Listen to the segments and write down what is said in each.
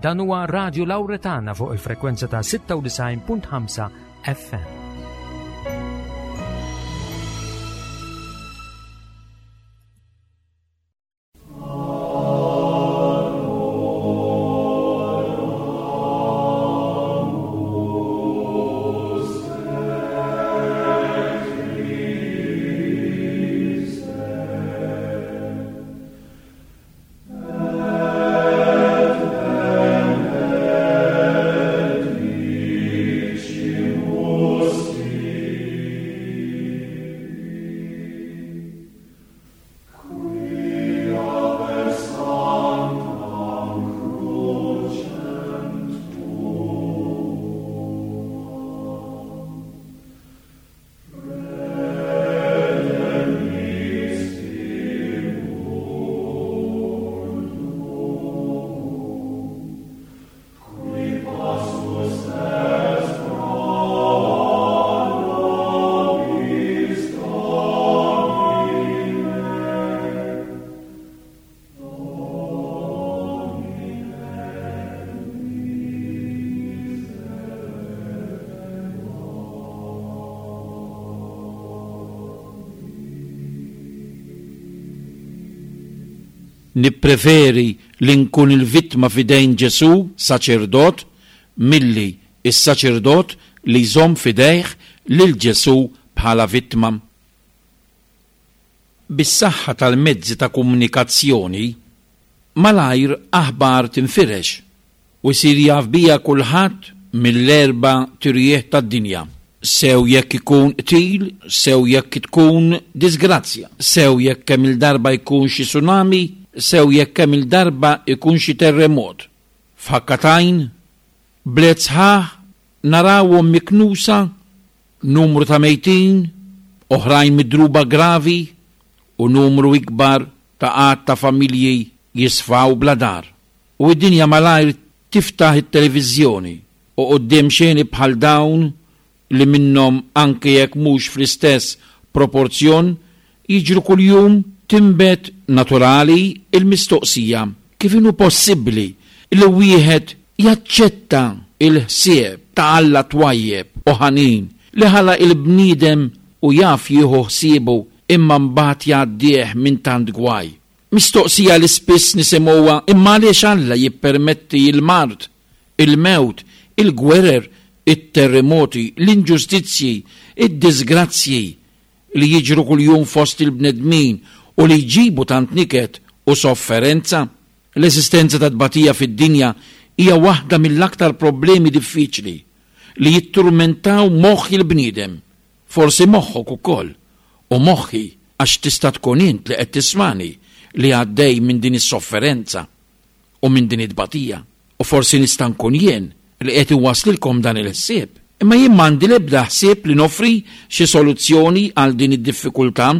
Dan huwa Radio Lauretana fuq il-frekwenza ta' 96.5 FM. Nippreferi li nkun il-vittma f'idejn Ġesù, saċerdot, milli s-saċerdot li jżomm f'idejh lil Ġesù bħala vittma. Bis-saħħa tal-mezzi ta' komunikazzjoni, malajr aħbar tinfirex u jsir jaf biha kulħadd mill-erba' tirjieħ tad-dinja, sew jekk ikun qtil, sew jekk tkun diżgrazzja, sew jekk kemm-il darba jkun xi tsunami, sew jekk kemm-il darba jkun xi terremot. F'ħakka t'għajn, bliet sħaħ narawhom miknusa, numru ta' mejtin, oħrajn midruba gravi u numru ikbar ta' għadd ta' familji jisfaw bla dar. U d-dinja malajr tiftaħ it-televiżjoni u quddiem xeni bħal dawn li minnhom anke jekk mhux fl-istess proporzjon jiġru kuljum tinbet naturali l-mistoqsija kif inhu possibbli li wieħed jaċċetta l-ħsieb ta' Alla twajjeb u ħanin li ħalaq il-bniedem u jaf jieħu ħsiebu imma mbagħad jgħaddih minn tant gwaj. Mistoqsija li spiss nisimgħuha imma għaliex Alla jippermetti l-mard, il-mewt, il-gwerer, it-terremoti, l-inġustizzji, id-diżgrazzji li jiġru kuljum fost il-bnedmin u li jġibu tant niket u sofferenza? L-eżistenza tat-tbatija fid-dinja hija waħda mill-aktar problemi diffiċli li jitturmentaw moħħ il-bniedem. Forsi moħħok ukoll, u moħħi għax tista' tkun int li qed tismagħni li għaddej minn din is-sofferenza u minn din it-tbatija. U forsi nista' nkun jien li qed inwasslilkom dan il-ħsieb. Imma jien m'għandi l-ebda ħsieb li noffri xi soluzzjoni għal din id-diffikultà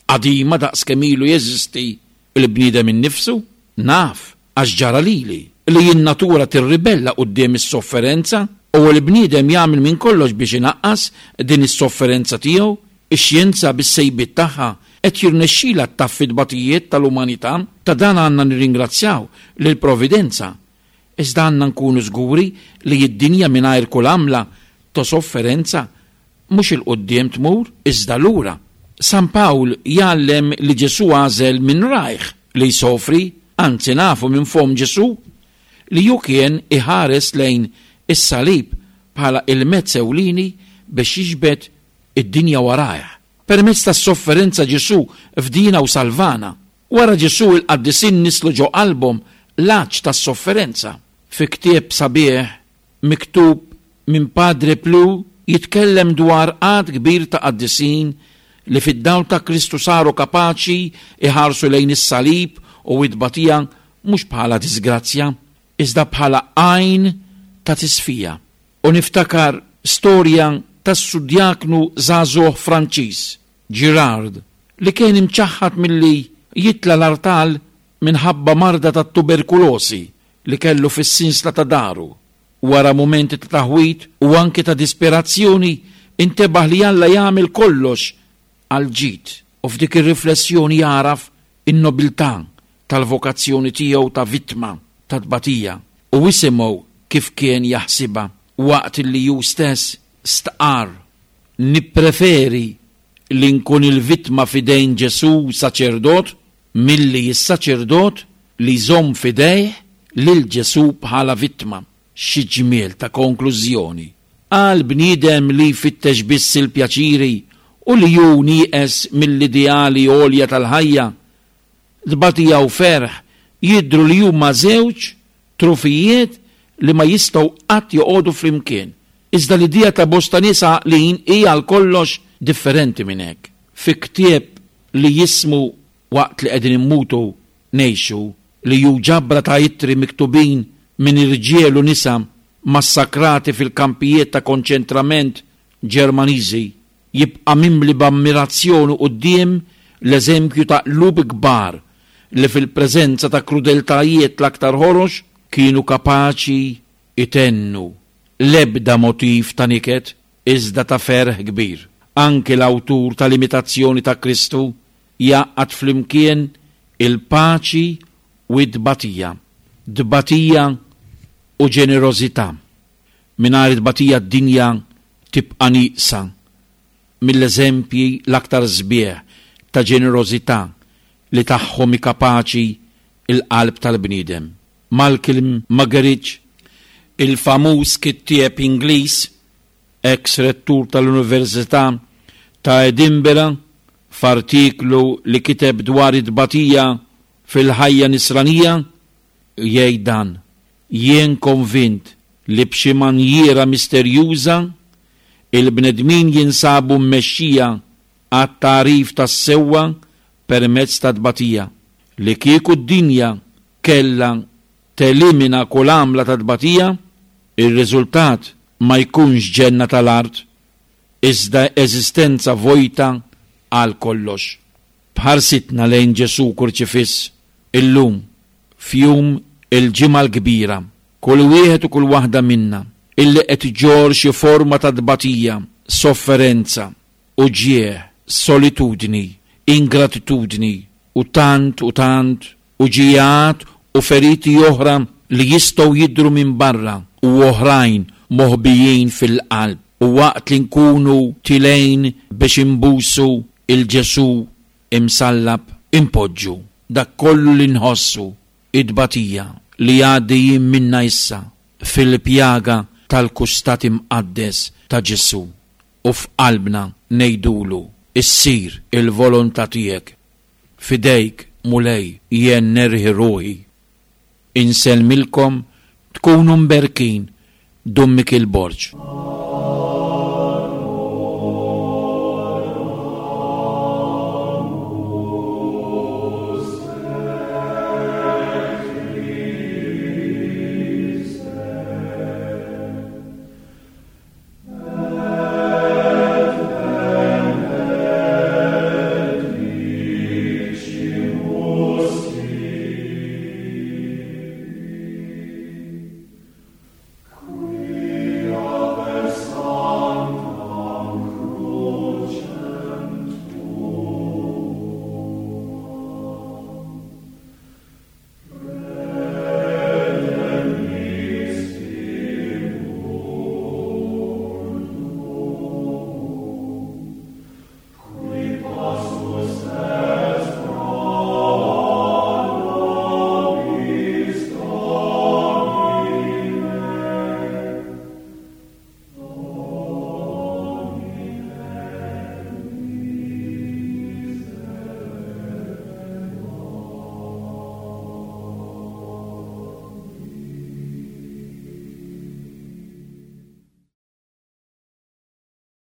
qadima daqs kemm ilu jeżisti l-bniedem innifsu. Naf, għax ġara lili, li n-natura tirribella quddiem is-sofferenza u l-bniedem jagħmel minn kollox biex inaqqas din is-sofferenza tiegħu. Ix-xjenza bis-sejbiet tagħha qed jirnexxilha ttaffi t-tbatijiet tal-umanità. Ta' dan għandna nirringrazzjaw lill-Providenza. Iżda għandna nkunu żguri li d-dinja mingħajr kull għamla ta' sofferenza mhux 'il quddiem tmur, iżda lura. San Pawl jgħallem li Ġesù għażel minn rajh li jsofri, anzi nafu minn fomm Ġesù li hu kien iħares lejn is-salib bħala il-mezz ewlieni biex jiġbed id-dinja warajh. Permezz tas-sofferenza Ġesù fdiena u salvana. Wara Ġesù il-qaddisin nisslu ġo qalbhom l-għatx tas-sofferenza. Fi ktieb sabiħ miktub minn Padre Plu jitkellem dwar għadd kbir ta' qaddisin li fid-dawl ta' Kristu saru kapaċi jħarsu lejn is-salib u t-tbatija mhux bħala diżgrazzja, iżda bħala għajn ta' tisfija. U niftakar storja tas-sudjaknu żagħżugħ Franċiż, Girard, li kien imċaħħad milli jitla' l-artal minħabba marda tat-tuberkulosi li kellu fis-sinsla ta' daru. Wara mumenti ta' taħwid u anki ta' disperazzjoni, intebaħ li Alla jagħmel kollox għall-ġid u f'dik ir-riflessjoni jagħraf in-nobiltà tal-vokazzjoni tiegħu ta' vittma ta' tbatija. U isimgħu kif kien jaħsibha waqt li hu stess stqarr, Nippreferi li nkun il-vittma f'idejn Ġesù saċerdot milli s-saċerdot li jżomm f'idejh lil Ġesù bħala vittma. Xi ġmiel ta' konklużjoni! Għal bniedem li jfittex biss il-pjaċiri u li hu nieqes mill-ideali għolja tal-ħajja, tbatija u ferħ jidhru li huma żewġ trufijiet li ma jistgħu qatt joqogħdu flimkien. Iżda l-idea ta' bosta nies għaqlin hi għal kollox differenti minn hekk. Fi ktieb li jismu Waqt li Qegħdin Immutu Ngħixu, li hu ġabra ta' ittri miktubin minn irġiel u nisa massakrati fil-kampijiet ta' konċentrament Ġermaniżi, jibqa' mimli b'ammirazzjoni quddiem l-eżempju ta' qlub kbar li fil-preżenza ta' krudeltajiet l-aktar ħorox kienu kapaċi jtennu l-ebda motiv ta' niket iżda ta' ferħ kbir. Anki l-awtur tal-Imitazzjoni ta' Kristu jgħaqqad flimkien il-paċi u t-tbatija, tbatija u ġenerożità. Mingħajr it-tbatija d-dinja tibqa' nieqsa mill-eżempji l-aktar sbieħ ta' ġenerożità li tagħhom hi kapaċi l-qalb tal-bniedem. Malcolm Muggeridge, il-famuż kittieb Ingliż, eks rettur tal-Università ta' Edinburgh, f'artiklu li kiteb dwar it-tbatija fil-ħajja Nisranija, jgħid dan, Jien konvint li b'xi manjiera misterjuża, il-bnedmin jinsabu mmexxija għat-tagħrif tas-sewwa permezz tat-tbatija. Li kieku d-dinja kellha telimina kull għamla ta' tbatija, ir-riżultat ma jkunx ġenna tal-art, iżda eżistenza vojta għal kollox. B'ħarsitna lejn Ġesù Kurċifiss illum, f'jum il-Ġimgħa l-Kbira, kull wieħed u kull waħda minna illi qed iġorr xi forma ta' tbatija, sofferenza, uġigħ, solitudni, ingratitudni u tant u tant uġigħat u feriti oħra li jistgħu jidhru minn barra u oħrajn moħbijin fil-qalb u waqt li nkunu tilgħin biex inbusu 'l Ġesù imsallab, inpoġġu dak kollu li nħossu, it-tbatija li għaddejjin minnha issa, fil-pjaga tal-kustat imqaddes ta' Ġesù u f'qalbna ngħidulu, Issir il-volontà tiegħek. F'idejk, Mulej, jien nerħi ruħi. Insellmilkom, tkunu mberkin, Dun Mikiel Borg.